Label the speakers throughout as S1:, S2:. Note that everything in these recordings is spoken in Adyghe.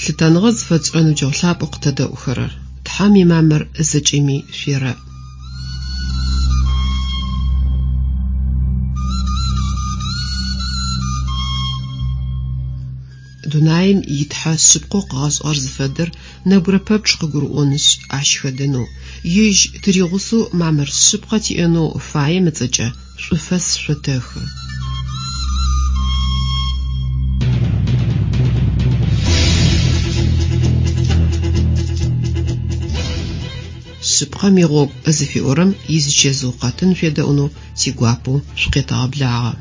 S1: Лъытэныгъэ зыфэтшӏырэ ныбджэгъу лъапӏэу къытэдэӏухэрэр, Тхьэм имамыр зэкӏэми шъуерэӏ. Дунаим и Тхьэ шъыпкъэу къыгъэшӏыгъэр зыфэдэр нэбгырэ пэпчъ къыгурыӏонышъ, ащ хэдэнэу, ежь тыригъусэу мамыр шъыпкъэ тиӏэнэу фаем ыцӏэкӏэ шӏуфэс шъотэхы. Шъыпкъэм игъогу зыфиӏорэм изичэзыу къэтын шъуедэӏунэу тигуапэу шъукъетэгъэблагъэ.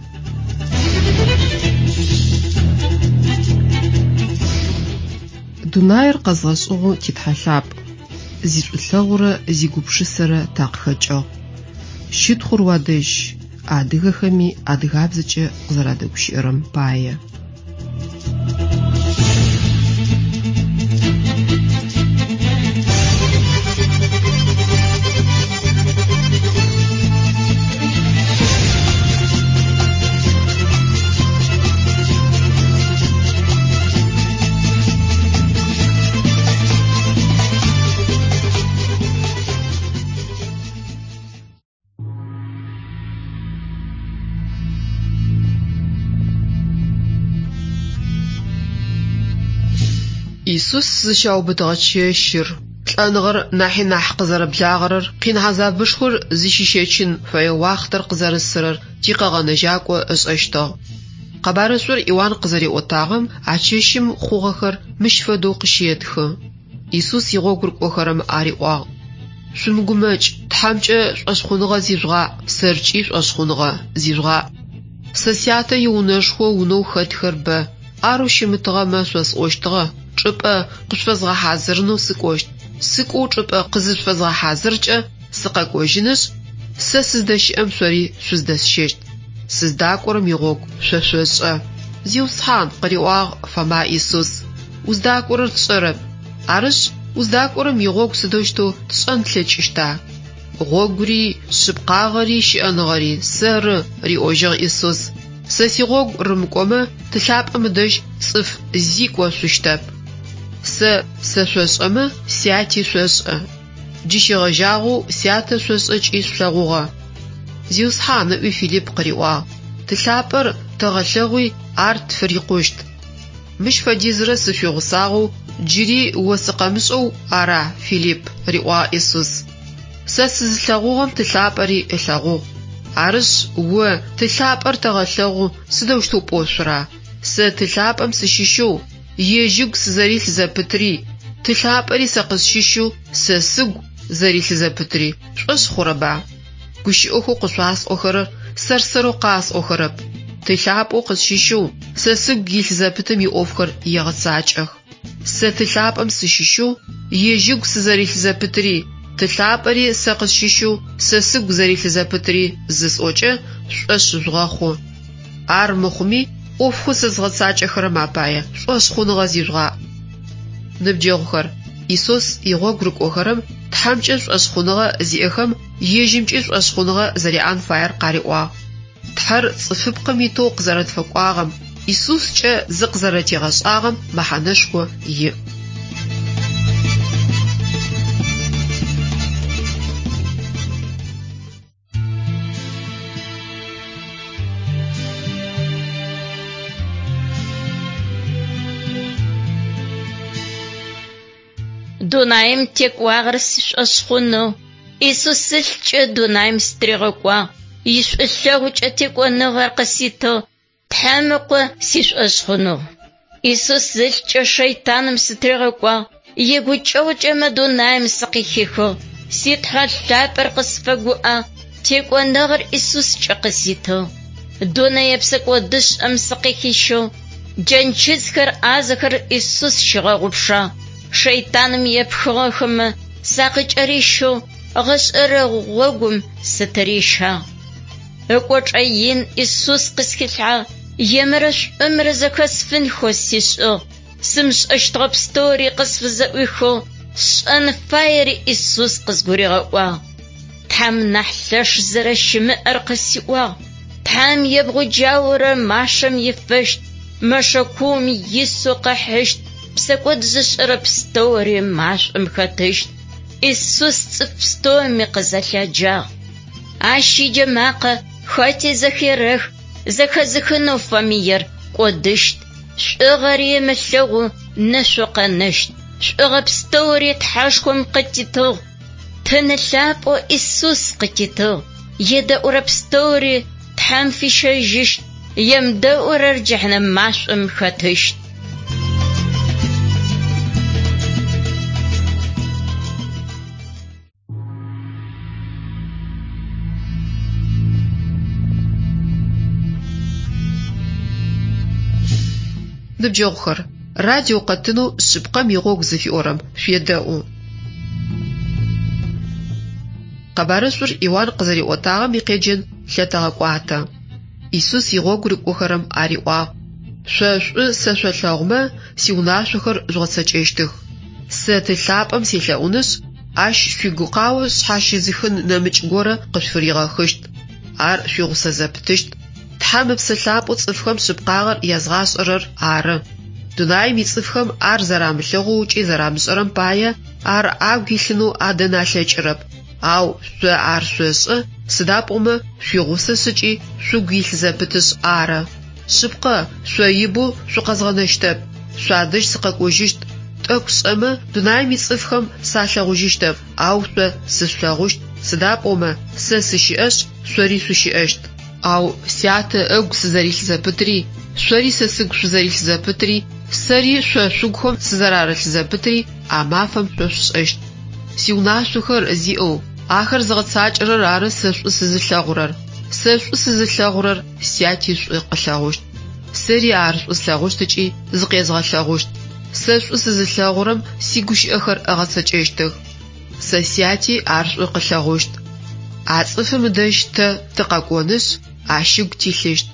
S1: Дунаир къэзгъэшӏыгъэу ти Тхьэ лъапӏ, зишӏулъэгъурэ зигупшысэрэ такъыхэкӏыгъ. Щытхъур уадэжь, адыгэхэми адыгабзэкӏэ къызэрадэгущыӏэрэм пае. Исус зыщаубытыгъэ чэщыр, лӏэныгъэр нахьи нахь къызэрэблагъэрэр, къин хьазабышхор зыщищэчын фэе уахътэр къызэрысырэр тикъэгъэнэжьакӏо ышӏэщтыгъ. Къэбарышӏур Иуан къызэриӏотагъэм а чэщым хъугъэхэр мыщ фэдэу къыщетхы. Исус игъогу рыкӏохэрэм ариӏуагъ: Шъумыгумэкӏ, Тхьэмкӏэ шӏошъхъуныгъэ зижъугъаӏ, сэркӏи шӏошъхъуныгъэ зижъугъаӏ. Сэ Сятэ иунэшхо унэу хэтхэр бэ, арэу щымытыгъэмэ шъосӏощтыгъэ, чӏыпӏэ къышъуфэзгъэхьазырынэу сыкӏощт. Сыкӏоу чӏыпӏэ къызышъуфэзгъэхьазыркӏэ сыкъэкӏожьынышъ, сэ сыздэщыӏэм шъори шъуздэсщэщт. Сыздакӏорэм игъогу шъо шъошӏэ. Зиусхьан, къыриӏуагъ Фома Исус, уздакӏорэр тшӏэрэп. Арышъ, уздакӏорэм игъогу сыдэущтэу тшӏэн тлъэкӏыщта? Гъогури, шъыпкъагъэри, щыӏэныгъэри сэры, риӏожьыгъ Исус. Сэ сигъогу рымыкӏомэ, Ты лъапӏэм ыдэжь цӏыф зи кӏошъущтэп. Сэ сэшъошӏэмэ, Сяти шъошӏэ. Джы щегъэжьагъэу Сятэ шъошӏэ ыкӏи шъулъэгъугъэ. Зиусхьан, ыӏуи Филипп къыриӏуагъ, Ты лъапӏэр тэгъэлъэгъуи, ар тфырикъущт. Мыщ фэдизрэ сышъуигъусагъэу джыри о сыкъэмышӏэу ара, Филипп? риӏуагъ Исус. Сэ сызылъэгъугъэм Ты лъапӏэри ылъэгъугъ. Арышъ, о Ты лъапӏэр тэгъэлъэгъу сыдэущтэу пӏошъура? Сэ Ты лъапӏэм сыщыщэу, ежь ыгу сызэрилъ зэпытри, Ты лъапӏэри сэ къысщыщэу сэ сыгу зэрилъ зэпытри пшӏошъ хъурэба? Гущыӏэхэу къышъуасӏохэрэр сэр-сэрэу къасӏохэрэп. Ты лъапӏэу къысщыщэу сэ сыгу илъ зэпытым иӏофхэр егъэцакӏэх. Сэ Ты лъапӏэм сыщыщэу, ежь ыгу сызэрилъ зэпытри, Ты лъапӏэри сэ къысщыщэу сэ сыгу зэрилъ зэпытри зысӏокӏэ, шъушӏошъ жъугъэхъу. Ар мыхъуми, ӏофхэу сэ згъэцакӏэхэрэм апае шӏошъхъуныгъэ зижъугъаӏ. Ныбджэгъухэр, Исус игъогу рыкӏохэрэм Тхьэмкӏэ шӏошъхъуныгъэ зиӏэхэм ежьымкӏи шӏошъхъуныгъэ зэряӏэн фаер къариӏуагъ. Тхьэр цӏыфыпкъым итэу къызэрэтфэкӏуагъэм, Исускӏэ зыкъызэрэтигъэшӏагъэм мэхьанэшхо иӏ.
S2: Дунаим текӏуагъэр сшӏошъ хъунэу Исус ылъкӏэ дунаим сытыригъэкӏуагъ, ишӏулъэгъукӏэ текӏоныгъэр къыситыгъ, Тхьэм Ыкъо сишӏошъ хъунэу. Исус ылъкӏэ шэйтаным сытыригъэкӏуагъ, игукӏэгъукӏэ мы дунаим сыкъыхихыгъ, си Тхьэ лъапӏэр къысфэгуӏэ, текӏоныгъэр Исускӏэ къыситыгъ. Дунэе псэкӏодышӏэм сыкъыхищыгъ, джэнчызхэр ӏазэхэр Исус щигъэгъупшагъ, шэйтаным епхыгъэхэмэ сакъыкӏэрищыгъ, гъэшӏэрэ гъогум сытырищагъ. Ыкӏочӏэ ин Исус къысхилъхьагъ, емрэ шӏумрэ зэхэсфынхэу сишӏыгъ, сымышӏэщтыгъэ пстэури къысфызэӏуихыгъ, сшӏэн фаери Исус къызгуригъэӏуагъ. Тхьэм нахь лъэш зэрэщымыӏэр къысиӏуагъ, Тхьэм ебгъуджаурэ машэм ифэщт, мэшэ куум исэу къыхьыщт. Псэкӏод зышӏэрэ пстэури машӏом хэтыщт. Исус цӏыф пстэуми къызэлъяджагъ. Ащ иджэмакъэ хэти зэхерэх, зэхэзыхынэу фэмыер кӏодыщт. Шӏугъэри ымылъэгъоу нэшъоу къэнэщт. Шӏугъэ пстэури Тхьэшхом къытитыгъ. Тыны лъапӏэу Исус къытитыгъ. Едэӏурэ пстэури Тхьэм фищэжьыщт, емыдэӏурэр джэхьнэм машӏом хэтыщт.
S1: Ныбджэгъухэр, радио къэтынэу Шъыпкъэм игъогу зыфиӏорэм шъуедэӏу. Къэбарышӏур Иуан къызэриӏотагъэм икъеджэн лъэтэгъэкӏуатэ. Исус игъогу рыкӏохэрэм ариӏуагъ: Шъо шӏу сэ шъолъэгъумэ, сиунашъохэр жъугъэцэкӏэщтых. Сэ Ты лъапӏэм селъэӏунышъ, ащ шъуигукъао шъхьащызыхын нэмыкӏ горэ къышъуфыригъэхыщт. Ар шъуигъусэ зэпытыщт. Тхьэм Ыпсэ Лъапӏэу цӏыфхэм шъыпкъагъэр язгъашӏэрэр ары. Дунаим ицӏыфхэм ар зэрамылъэгъоу ыкӏи зэрамышӏэрэм пае ар агу илъынэу адэн алъэкӏырэп. Ау шъо ар шъошӏэ, сыда пӏомэ шъуигъусэшъ ыкӏи шъугу илъ зэпытышъ ары. Шъыпкъэ, шъо ибэу шъукъэзгъэнэщтэп, шъуадэжь сыкъэкӏожьыщт. Тӏэкӏу шӏэмэ, дунаим ицӏыфхэм салъэгъужьыщтэп, ау шъо сышъулъэгъущт, сыда пӏомэ сэ сыщыӏэшъ, шъори шъущыӏэщт. Ау Сятэ ыгу сызэрилъ зэпытри, шъори сэ сыгу шъузэрилъ зэпытри, сэри шъо шъугухэм сызэрарылъ зэпытри а мафэм шъо шъушӏэщт. Сиунашъохэр зиӏэу, ахэр зыгъэцакӏэрэр ары сэ шӏу сызылъэгъурэр. Сэ шӏу сызылъэгъурэр Сяти шӏу къылъэгъущт. Сэри ар шӏу слъэгъущт ыкӏи зыкъезгъэлъэгъущт. Сэ шӏу сызылъэгъурэм сигущыӏэхэр ыгъэцэкӏэщтых. Сэ Сяти ар шӏу къылъэгъущт. А цӏыфым ыдэжь тэ тыкъэкӏонышъ, ащ ыгу тилъыщт.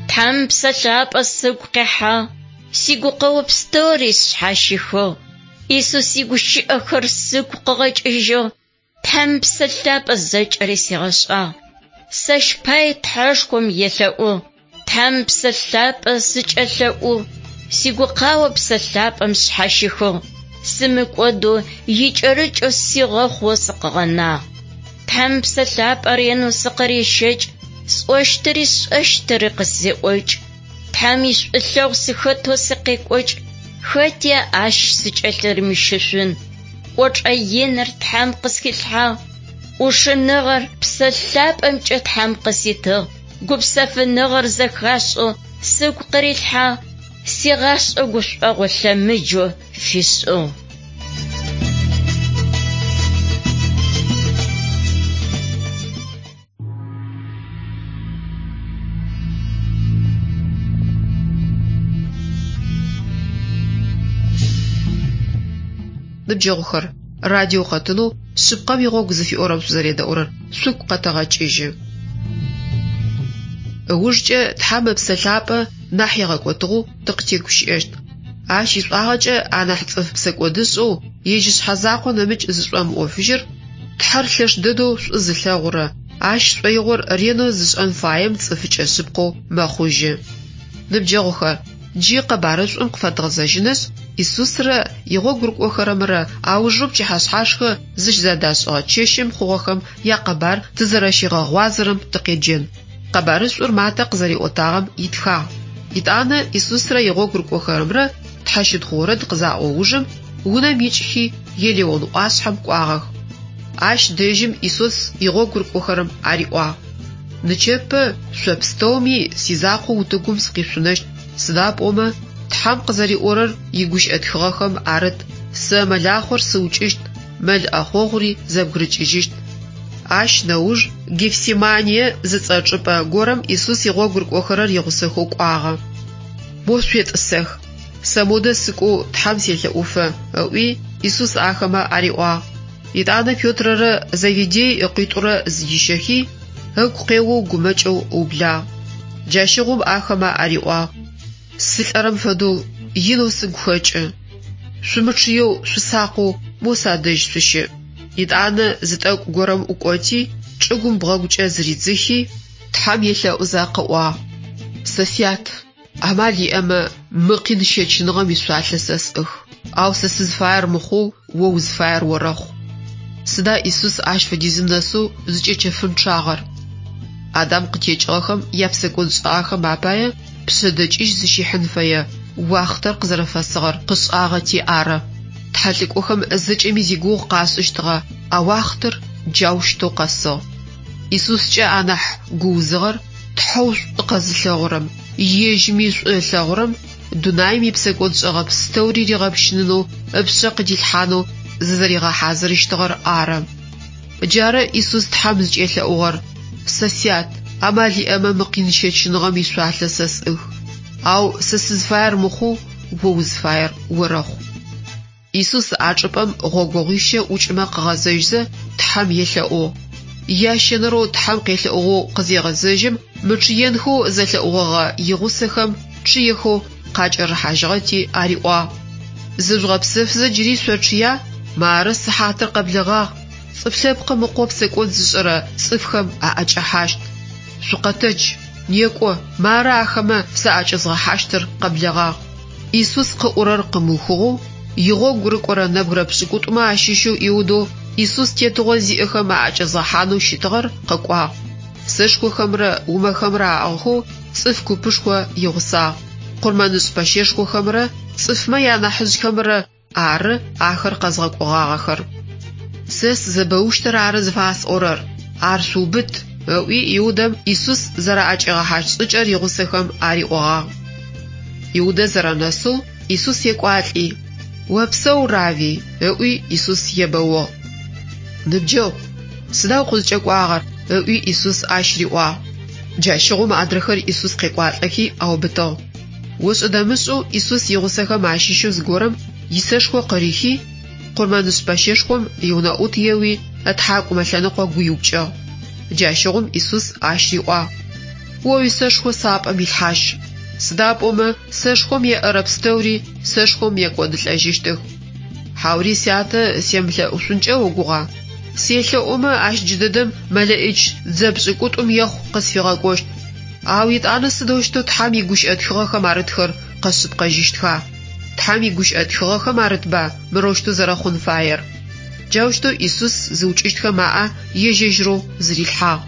S2: Тхьэм Псэ Лъапӏэ сыгу къихьагъ, сигукъэо пстэури сшъхьащихыгъ. Исус игущыӏэхэр сыгу къыгъэкӏыжьыгъ. Тхьэм Псэ Лъапӏэ зэкӏэри сигъэшӏагъ. Сэщ пае Тхьэшхом елъэӏугъ. Тхьэм Псэ Лъапӏэ сыкӏэлъэӏугъ. Сигукъао Псэ Лъапӏэм сшъхьащихыгъ. Сымыкӏодэу икӏэрыкӏэу сигъэхъоу сыкъыгъэнагъ. Тхьэм Псэ Лъапӏэ ренэу сыкъырещэкӏ, сӏощтыри сшӏэщтыри къысеӏокӏ. Тхьэм ишӏулъэгъу сыхэтэу сыкъекӏокӏ, хэти ащ сыкӏэлъырымыщышъун. Кӏочӏэ иныр Тхьэм къысхилъхьагъ. ӏушыныгъэр Псэ Лъапӏэмкӏэ Тхьэм къыситыгъ. Гупсэфыныгъэр зэхашӏэу сыгу къырилъхьагъ. Сигъашӏэ гушӏогъо лъэмыджэу фишӏыгъ.
S1: Ныбджэгъухэр, радио къэтынэу Шъыпкъэм игъогу зыфиӏорэм шъузэредэӏурэр шъугу къэтэгъэкӏыжьы. Ыужкӏэ Тхьэм Ыпсэ Лъапӏэ нахь игъэкӏотыгъэу тыкъытегущыӏэщт. Ащ ишӏуагъэкӏэ анахь цӏыф псэкӏодышӏэу ежь ышъхьэ закъо нэмыкӏ зышӏомыӏофыжьыр Тхьэр лъэш дэдэу шӏу зылъэгъурэ, ащ шӏоигъор ренэу зышӏэн фаем цӏыфыкӏэ шъыпкъэу мэхъужьы. Ныбджэгъухэр, джы къэбарышӏум къыфэдгъэзэжьынышъ, Исусрэ игъогу рыкӏохэрэмрэ аужэу пчыхьэшъхьашхэ зыщызэдашӏыгъэ чэщым хъугъэхэм якъэбар тызэрэщигъэгъуазэрэм тыкъеджэн. Къэбарышӏур Матэ къызэриӏотагъэм итхагъ. Етӏанэ Исусрэ игъогу рыкӏохэрэмрэ тхьэщытхъу орэд къызаӏо ужым унэм икӏхи Елеон ӏуашъхьэм кӏуагъэх. Ащ дэжьым Исус игъогу рыкӏохэрэм ариӏуагъ: Нычэпэ шъо пстэуми сизакъоу утыгум сыкъишъунэщт, сыда пӏомэ Тхьэм къызэриӏорэр игущыӏэ тхыгъэхэм арыт: Сэ мэлахъор сыукӏыщт, мэл ӏэхъогъури зэбгырыкӏыжьыщт. Ащ нэуж Гефсимание зыцӏэ чӏыпӏэ горэм Исус игъогу рыкӏохэрэр игъусэхэу кӏуагъэ. Мо шъуетӏысэх, сэ модэ сыкӏоу Тхьэм селъэӏуфэ, ыӏуи, Исус ахэмэ ариӏуагъ. Етӏанэ Петрэрэ Зеведей ыкъуитӏурэ зыдищэхи, ыгу къеоу гумэкӏэу ыублагъ. Джащыгъум ахэмэ ариӏуагъ: Сылӏэрэм фэдэу Инэу сыгу хэкӏы. Шъумычъыеу, шъусакъэу мо садэжь шъущыӏ. Етӏанэ зы тӏэкӏу горэм ӏукӏоти, чӏыгум бгъэгукӏэ зыридзыхи, Тхьэм елъэӏузэ къыӏуагъ: Сэ Сят, амал иӏэмэ, мы къин щэчыныгъэм ишъуалъэ сэ сӏых. Ау сэ сызыфаер мыхъоу, о узыфаер орэхъу. Сыда Исус ащ фэдизым нэсэу зыкӏэчэфынчъагъэр? Адам къытекӏыгъэхэм япсэкӏодшӏагъэхэм апае пшъэдэкӏыжь зыщихьын фэе уахътэр къызэрэфэсыгъэр къышӏагъэти ары. Тхьэлӏыкӏохэм зэкӏэми зигугъу къашӏыщтыгъэ а уахътэр джаущтэу къэсыгъ. Исускӏэ анахь гуузыгъэр Тхьэу шӏу къэзылъэгъурэм, ежьми шӏу ылъэгъурэм дунаим ипсэкӏодшӏэгъэ пстэури ригъэпщынынэу ыпшъэ къыдилъхьанэу зызэригъэхьазырыщтыгъэр ары. Джары Исус Тхьэм зыкӏелъэӏугъэр, Сэ Сят, амал иӏэмэ мы къин щэчыныгъэм ишъуалъэ сэ сӏых. Ау сэ сызыфаер мыхъоу, о узыфаер орэхъу. Исус а чӏыпӏэм гъогогъуищэ ӏукӏымэ къыгъэзэжьзэ, Тхьэм елъэӏугъ. Ящэнэрэу Тхьэм къелъэӏугъэу къызегъэзэжьым, мычъыенхэу зэлъэӏугъэгъэ игъусэхэм чъыехэу къакӏэрыхьажьыгъэти ариӏуагъ: Зыжъугъэпсэфызэ джыри шъочъыя? Мары сыхьатыр къэблэгъагъ, Цӏыф Лъэпкъым Ыкъо псэкӏод зышӏэрэ цӏыфхэм аӏэкӏэхьащт. Шъукъэтэдж, некӏо, мары ахэмэ саӏэкӏэзгъэхьащтыр къэблэгъагъ. Исус къыӏорэр къымыухыгъэу, игъогу рыкӏорэ нэбгырэ пшӏыкӏутӏумэ ащыщэу Иудэу Исус тетыгъо зиӏэхэм аӏэкӏэзгъэхьанэу щытыгъэр къэкӏуагъ. Сэшхохэмрэ умэхэмрэ аӏыгъхэу цӏыф купышхо игъусагъ. Къурмэнышӏ пэщэшхохэмрэ цӏыфмэ янахьыжъхэмрэ ары ахэр къэзгъэкӏогъагъэхэр. Сэ сызэбэущтыр ары зыфасӏорэр, ар шъуубыт, ыӏуи Иудэм Исус зэраӏэкӏигъэхьащт шӏыкӏэр игъусэхэм ариӏогъагъ. Иудэ зэрэнэсэу Исус екӏуалӏи, Опсэу, Равви, ыӏуи Исус ебэугъ. Ныбджэгъу, сыда укъызкӏэкӏуагъэр? ыӏуи Исус ащ риӏуагъ. Джащыгъум адрэхэр Исус къекӏуалӏэхи аубытыгъ. Ошӏэ-дэмышӏэу Исус игъусэхэм ащыщэу зыгорэм исэшхо къырихи, къурмэнышӏ пэщэшхом иунэӏут еуи, ытхьакӏумэ лъэныкъо гуиупкӏыгъ. Джащыгъум Исус ащ риӏуагъ, О уисэшхо сапӏэм илъхьажь, сыда пӏомэ сэшхом еӏэрэ пстэури сэшхом екӏодылӏэжьыщтых. Хьаури Сятэ семылъэӏушъункӏэ огугъа? Селъэӏумэ, ащ джыдэдэм мэлэӏич дзэ пшӏыкӏутӏум ехъу къысфигъэкӏощт. Ау етӏанэ сыдэущтэу Тхьэм игущыӏэ тхыгъэхэм арытхэр къэшъыпкъэжьыщтха? Тхьэм игущыӏэ тхыгъэхэм арытба мырэущтэу зэрэхъун фаер? Джаущтэу Исус зыукӏыщтхэм аӏэ ежь-ежьырэу зырилъхьагъ.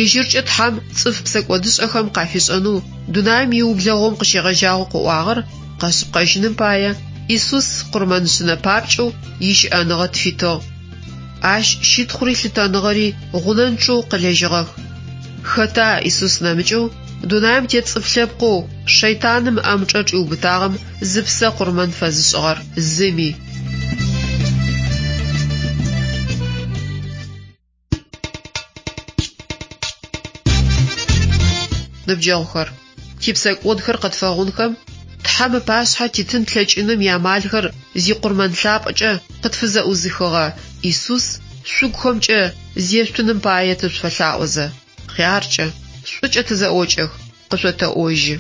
S1: Ежьыркӏэ Тхьэм цӏыф псэкӏодышӏэхэм къафишӏэнэу дунаим иублэгъум къыщегъэжьагъэу къыӏуагъэр къэшъыпкъэжьыным пае, Исус къурмэншъынэ папкӏэу ищыӏэныгъэ тфитыгъ. Ащ щытхъури лъытэныгъэри гъунэнчъэу къылэжьыгъэх. Хэта Исус нэмыкӏэу дунаим тет цӏыф лъэпкъэу шэйтаным ыӏэмычӏэ чӏиубытагъэм зыпсэ къурмэн фэзышӏыгъэр? Зыми. Ныбджэгъухэр, типсэкӏодхэр къытфэгъунхэм, Тхьэм ыпашъхьэ титын тлъэкӏыным иамалхэр зикъурмэн лъапӏэкӏэ къытфызэӏузыхыгъэ Исус шъугухэмкӏэ зешъутыным пае тышъуфэлъаӏозэ, хъяркӏэ, шӏукӏэ тызэӏокӏэх, къышъотэӏожьы.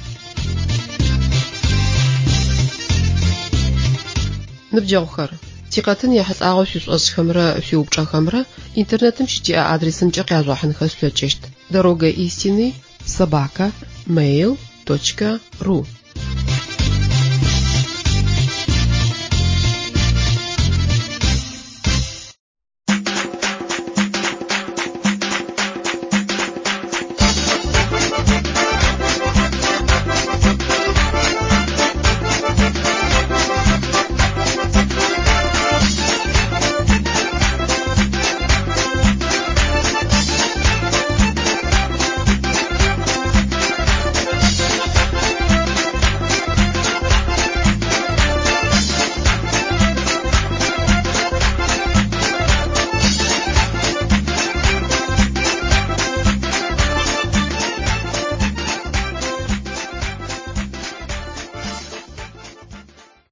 S1: Ныбджэгъухэр, тикъэтын ехьылӏагъэу шъуишӏошӏхэмрэ шъуиупчӏэхэмрэ Интернетым щытиӏэ адресымкӏэ къяжъугъэхьынхэ шъулъэкӏыщт: Дорога истины собака mail точка ru.